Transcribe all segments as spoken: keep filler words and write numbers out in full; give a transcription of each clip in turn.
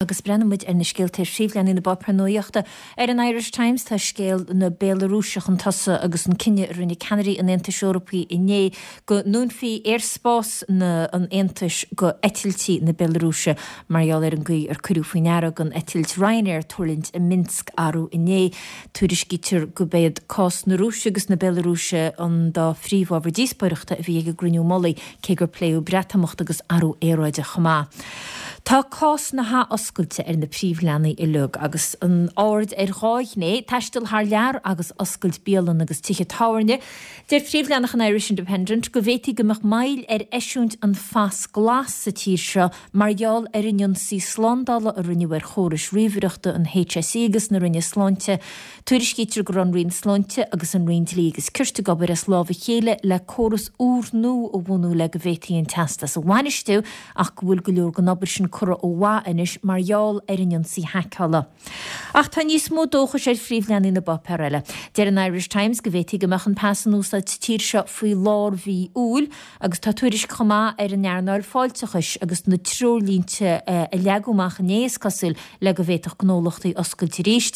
Agus breathnaíonn muid ar na scéalta ar phríomhleathanaigh na bpáipéar nuachta. Ar an Irish Times tá scéal na Béalarúise chun tosaigh agus an cinneadh a rinne ceannairí an Aontais Eorpaigh inné go ndúnfaí aerspás na an Aontais go eitiltí na Béalarúise mar gheall ar an gcaoi ar cuireadh faoi ndeara don eitilt Ryanair tuirlingt i Minsk arú inné. Tuairiscítear gurb iad cás na Rúise agus na Béalarúise an dá phríomhábhar díospóireachta a bhí ag an gcruinniú mullaigh, cé gur pléadh Breatimeacht agus athrú aeráide chomh maith. Tá cás na hathoscailte ar na príomhleathanaigh uilig agus an aird ar dhá ghné, taisteal thar lear agus oscailt bialann agus tithe tábhairne. Deir príomhleathanach an Irish Independent go bhféadfaí go mbeadh moill ar eisiúint an phas glas sa tír seo mar gheall ar an ionsaí slándála a rinneadh ar chórais ríomhaireachta an HSE agus na Roinne Sláinte. Tuairiscítear go raibh an Roinn Sláinte agus an Roinn Dlí agus Cirt ag obair as lámh a chéile le córas úrnua a bhunú le go bhféadfaí an teastas a bhainistiú ach go bhfuil go leor den obair sin curtha ó mhaith anois mar gheall ar an ionsaí haiceála. Ach tá níos mó dóchais ar phríomhleathanaigh na bpáipéar eile. Deir an Irish Times go bhféadfaí go mbeadh an pas in úsáid sa tír seo faoi lár mhí Iúil agus tá tuairisc chomh maith ar an earnáil fáilteachais agus na treoirlínte a leagadh amach inné is cosúil le go bhféadfadh gnólachtaí oscailt arís.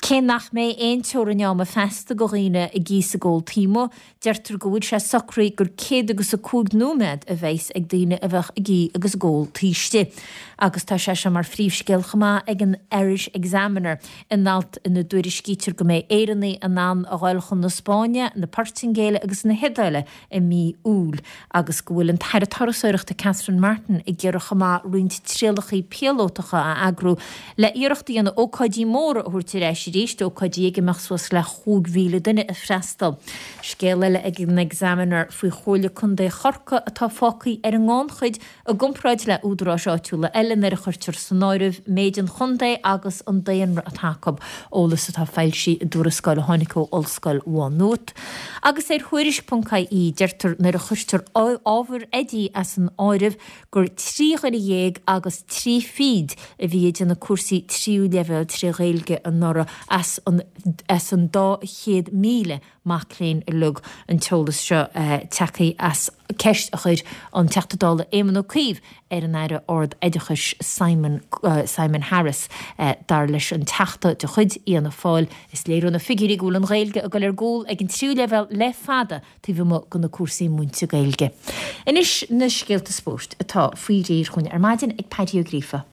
Cé nach mbeidh aon teorainn ama feasta do dhaoine ag ithe is ag ól taobh amuigh, deirtear go bhfuil sé socraithe gur céad agus a cúig nóiméad a bheas ag daoine a bheadh ag ithe agus ag ól taobh istigh. Agus tá sé seo mar phríomhscéal chomh maith ag an Irish Examiner in alt ina dtuairiscítear go mbeidh Éireannaigh in ann a ghoil chun na Spáinne, na Portaingéile agus na hIodáile i mí Iúil agus go bhfuil an tAire Turasóireachta Catherine Martin ag iarraidh chomh maith roinnt trialacha píolótacha a eagrú le iarracht a dhéanamh ócáidí móra a thabhairt ar ais arís, ócáidí ag a mbeadh suas le chúig mhíle duine ag freastal. Scéal eile ag an Examiner faoi Chomhairle Contae Chorcaí atá fágtha ar an ngannchuid i gcomparáid le údaráis áitiúla eile nuair a chuirtear san áireamh méid an chontae agus an daonra atá acu, eolas atá foilsithe i dtuarascáil a tháinig ó Ollscoil Mhá Nuad. Agus ar Thuairisc ponc ie deirtear nuair a chuirtear ábhar oidí as an áireamh gur trí dhuine dhéag agus trí fichid a bhí ag déanamh cúrsaí tríú leibhéal tré Ghaeilge anuraidh as an as an dá chéad míle mac léinn uilig. An t-eolas seo tagtha as ceist a chuir an Teachta Dála Éamon Ó Cuív ar an Aire Ard-Oideachais Simon Simon Harris. Dar leis an Teachta de chuid Fhianna Fáil, is léir ó na figiúirí go bhfuil an Ghaeilge ag dul ar gcúl ag an tríú leibhéal le fada taobh amuigh de na cúrsaí múinte Gaeilge. Anois na scéalta spóirt atá faoi réir chugainn ar maidin ag Paddy Ó Gríofa.